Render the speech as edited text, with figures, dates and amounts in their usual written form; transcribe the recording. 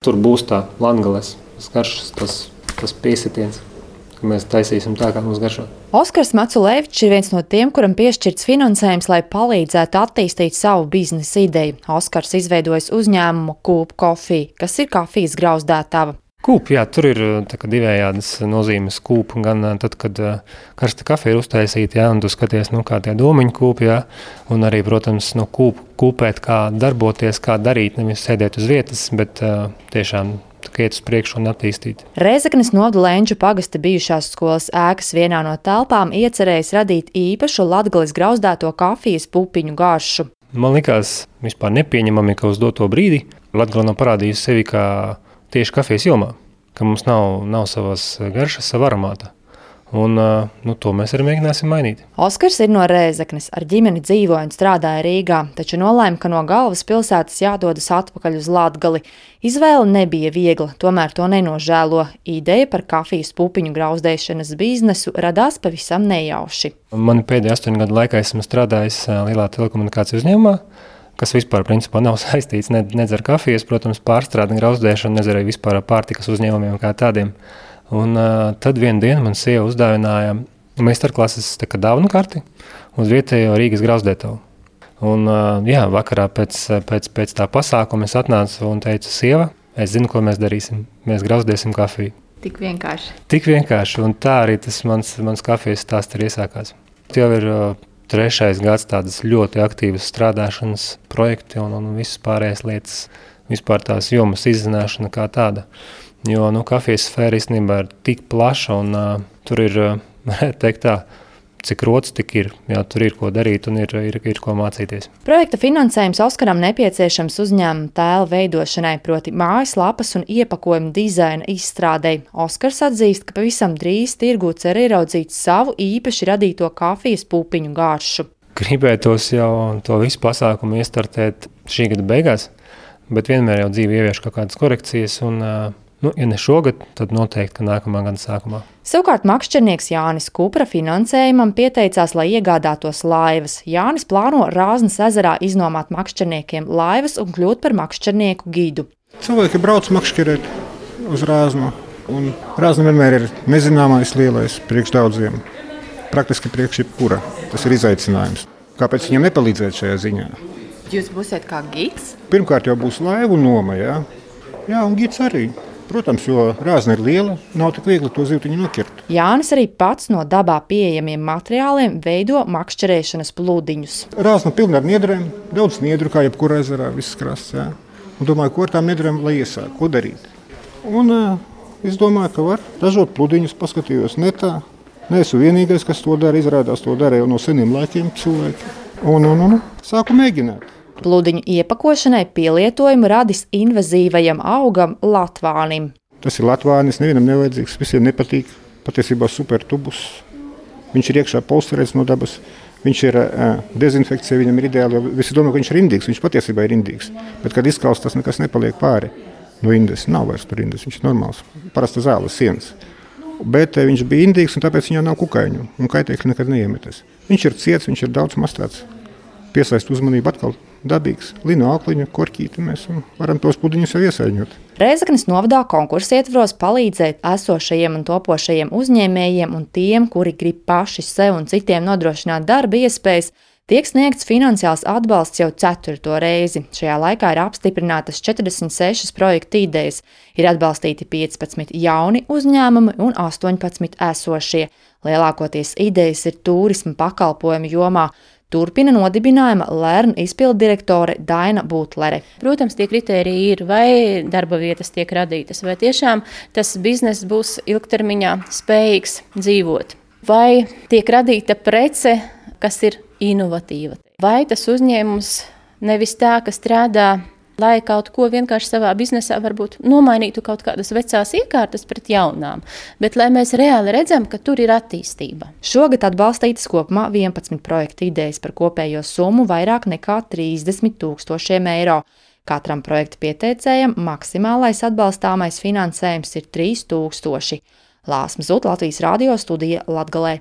Tur būs tā latgales garšas, tas piesitiens, ka mēs taisīsim tā, kā mums garšo. Oskars Maculēvičs ir viens no tiem, kuram piešķirts finansējums, lai palīdzētu attīstīt savu biznesa ideju. Oskars izveidojis uzņēmumu Kūp Coffee, kas ir kafijas grauzdētava. Kūp, jā, tur ir divējādas nozīmes kūp, gan tad, kad karsta kafija ir uztaisīta, jā, un tu skaties, kā tie domiņu kūp, jā, un arī, protams, kūpēt, kā darboties, kā darīt, nevis sēdēt uz vietas, bet tiešām iet uz priekšu un attīstīt. Rēzeknes novada Lenču pagasta bijušās skolas ēkas vienā no telpām iecerējis radīt īpašu latgales grauzdēto kafijas pupiņu garšu. Man likās vispār nepieņemami, ka uz doto brīdi Latgale nav parādījusi sevi kā tieši kafijas jomā, ka mums nav savas garšas, sava aromāta. Un to mēs arī mēģināsim mainīt. Oskars ir no Rēzeknes, ar ģimeni dzīvoja un strādāja Rīgā, taču nolēma, ka no galvaspilsētas jādodas atpakaļ uz Latgali. Izvēle nebija viegla, tomēr to nenožēlo. Ideja par kafijas pupiņu grauzdēšanas biznesu radās pavisam nejauši. Man pēdējā 8 gadu laikā esmu strādājis lielā telekomunikāciju uzņēmumā, kas vispār principā nav saistīts nedz ar kafijas, protams, pārstrādi un grauzdēšanu, nedz arī vispār ar pārtikas uzņēmumiem kā tādiem. Un tad vienu dienu man sieva uzdāvināja meistarklases dāvanu karti uz vietējo Rīgas grauzdētavu. Un vakarā pēc tā pasākuma es atnācu un teicu, sieva, es zinu, ko mēs darīsim. Mēs grauzdēsim kafiju. Tik vienkārši. Tik vienkārši, un tā arī tas mans kafijas stāsts arī iesākās. Jau ir 3. gads tādas ļoti aktīvas strādāšanas projekti un visas pārējās lietas, vispār tās jomas izzināšana kā tāda. Jo kafijas sfēra īstenībā ir tik plaša un tur ir, teikt tā, cik rots tik ir. Jā, tur ir ko darīt un ir ko mācīties. Projekta finansējums Oskaram nepieciešams uzņēmuma tēla veidošanai, proti mājaslapas un iepakojumu dizaina izstrādei. Oskars atzīst, ka pavisam drīz tirgū cer ieraudzīt savu īpaši radīto kafijas pupiņu garšu. Gribētos jau to visu pasākumu iestartēt šī gada beigās, bet vienmēr jau dzīve ievieš kaut kādas korekcijas un ja ne šogad, tad noteikti, ka nākamā gada sākumā. Savukārt makšķernieks Jānis Kupra finansējumam pieteicās, lai iegādātos laivas. Jānis plāno Rāznas ezerā iznomāt makšķerniekiem laivas un kļūt par makšķernieku gidu. Cilvēki brauc makšķerēt uz Rāznu, un Rāzna vienmēr ir nezināmais lielais priekš daudziem. Praktiski priekš jebkura. Tas ir izaicinājums. Kāpēc viņam nepalīdzēt šajā ziņā? Jūs būsiet kā gids? Pirmkārt jau būs laivu noma, jā. Jā, un gids arī. Protams, jo Rāzna ir liela, nav tik viegli to zivtiņu noķert. Jānis arī pats no dabā pieejamiem materiāliem veido makšķerēšanas pludiņus. Rāzna pilna ar niedrēm, daudz niedru, kā jebkurā ezerā, viss krasts. Jā. Un domāju, ko ar tām niedrēm lai iesāk, ko darīt. Un es domāju, ka var ražot pludiņus, paskatījos netā. Neesmu vienīgais, kas to dara, izrādās to dara jau no seniem laikiem cilvēki. Un sāku mēģināt. Pludiņu iepakošanai pielietojumu radis invazīvajam augam latvānim. Tas ir latvānis, nevienam nevajadzīgs, visiem nepatīk. Patiesībā super tubus. Viņš ir iekšā polsterēts no dabas. Viņš ir dezinfekcija, viņam ir ideāli. Visi domā, ka viņš ir indīgs, viņš patiesībā ir indīgs. Bet, kad izkaust, tas nekas nepaliek pāri no indes. Nav vairs tur indes, viņš ir normāls. Parasta zāles sienas. Bet viņš bija indīgs un tāpēc viņā nav kukaiņu. Un kaitēkļi nekad neiemetas. Viņš ir ciets, viņš ir daudz mastāts. Piesaist uzmanību atkal. Dabīgs, lino aukliņa, korķīti, mēs varam tos pudiņus jau iesaiņot. Rēzeknes novadā konkursa ietvaros palīdzēt esošajiem un topošajiem uzņēmējiem un tiem, kuri grib paši sev un citiem nodrošināt darba iespējas, tiek sniegts finansiāls atbalsts jau 4. reizi. Šajā laikā ir apstiprinātas 46 projektu idejas, ir atbalstīti 15 jauni uzņēmumi un 18 esošie. Lielākoties idejas ir turisma pakalpojumu jomā. Turpina nodibinājuma Lernu izpilddirektore Daina Butlere. Protams, tie kritēriji ir, vai darba vietas tiek radītas, vai tiešām tas bizness būs ilgtermiņā spējīgs dzīvot. Vai tiek radīta prece, kas ir inovatīva. Vai tas uzņēmums nevis tā, ka strādā, lai kaut ko vienkārši savā biznesā varbūt nomainītu kaut kādas vecās iekārtas pret jaunām, bet lai mēs reāli redzam, ka tur ir attīstība. Šogad atbalstītas kopumā 11 projektu idejas par kopējo summu vairāk nekā 30 000 eiro. Katram projektu pieteicējam maksimālais atbalstāmais finansējums ir 3000. Lāsma Zut, Latvijas radio studija Latgalē.